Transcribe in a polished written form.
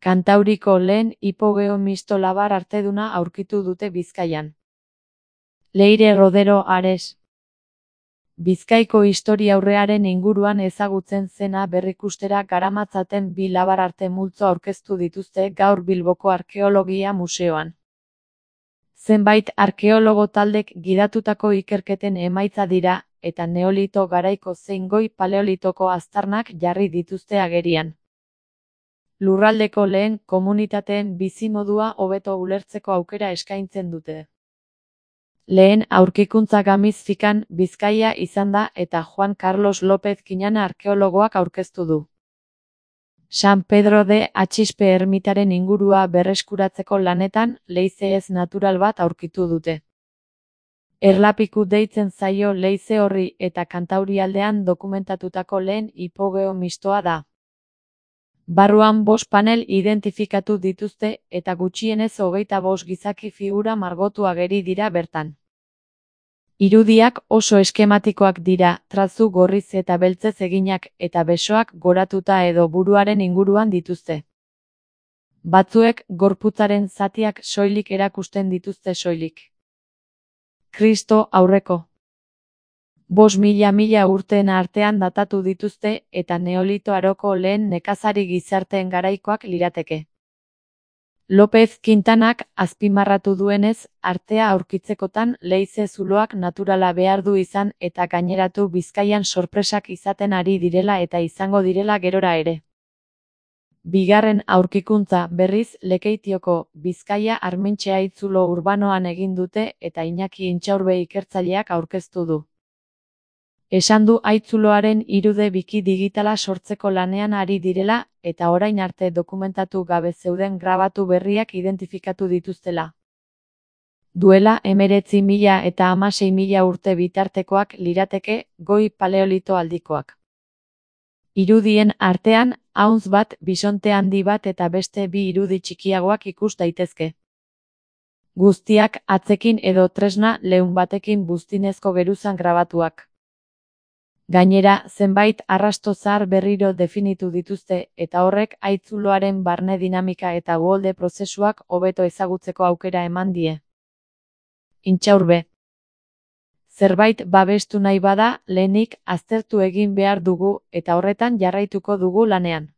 Kantauriko lehen hipogeo-misto labar arteduna aurkitu dute Bizkaian. Leire Rodero Ares. Bizkaiko historiaurrearen inguruan ezagutzen zena berrikustera garamatzaten bi labar-arte multzo aurkeztu dituzte gaur Bilboko Arkeologia Museoan. Zenbait arkeologo taldek gidatutako ikerketen emaitza dira, eta neolito garaiko zein goi paleolitoko aztarnak jarri dituzte agerian. Lurraldeko lehen komunitateen bizimodua hobeto ulertzeko aukera eskaintzen dute. Lehen aurkikuntza Gamizfikan, Bizkaia izan da eta Juan Carlos López Kiñana arkeologoak aurkeztu du. San Pedro de Atxispe ermitaren ingurua berreskuratzeko lanetan, leize ez natural bat aurkitu dute. Erlapiku deitzen zaio leize horri eta Kantaurialdean dokumentatutako lehen hipogeo-mistoa da. Barruan 5 panel identifikatu dituzte eta gutxienez 25 gizaki figura margotu ageri dira bertan. Irudiak oso eskematikoak dira, trazu gorriz eta beltzez eginak eta besoak goratuta edo buruaren inguruan dituzte. Batzuek gorputzaren zatiak soilik erakusten dituzte soilik. Kristo aurreko 5.000 urteen artean datatu dituzte eta Neolito aroko lehen nekazari gizarteen garaikoak lirateke. López Quintanak azpimarratu duenez, artea aurkitzekotan leize zuloak naturala behar du izan eta gaineratu Bizkaian sorpresak izaten ari direla eta izango direla gerora ere. Bigarren aurkikuntza berriz Lekeitioko Bizkaia Armentxe haitzulo urbanoan egin dute eta Iñaki Intxaurbe ikertzaileak aurkeztu du. Esan du haitzuloaren irude biki digitala sortzeko lanean ari direla eta orain arte dokumentatu gabe zeuden grabatu berriak identifikatu dituztela. Duela 19.000 eta 16.000 urte bitartekoak lirateke goi paleolito aldikoak. Irudien artean, ahuntz bat, bisonte handi bat eta beste bi irudi txikiagoak ikus daitezke. Guztiak atzekin edo tresna leun batekin buztinezko geruzan grabatuak. Gainera, zenbait arrasto zahar berriro definitu dituzte eta horrek haitzuloaren barne dinamika eta uholde prozesuak hobeto ezagutzeko aukera eman die. Intxaurbe. Zerbait babestu nahi bada, lehenik aztertu egin behar dugu eta horretan jarraituko dugu lanean.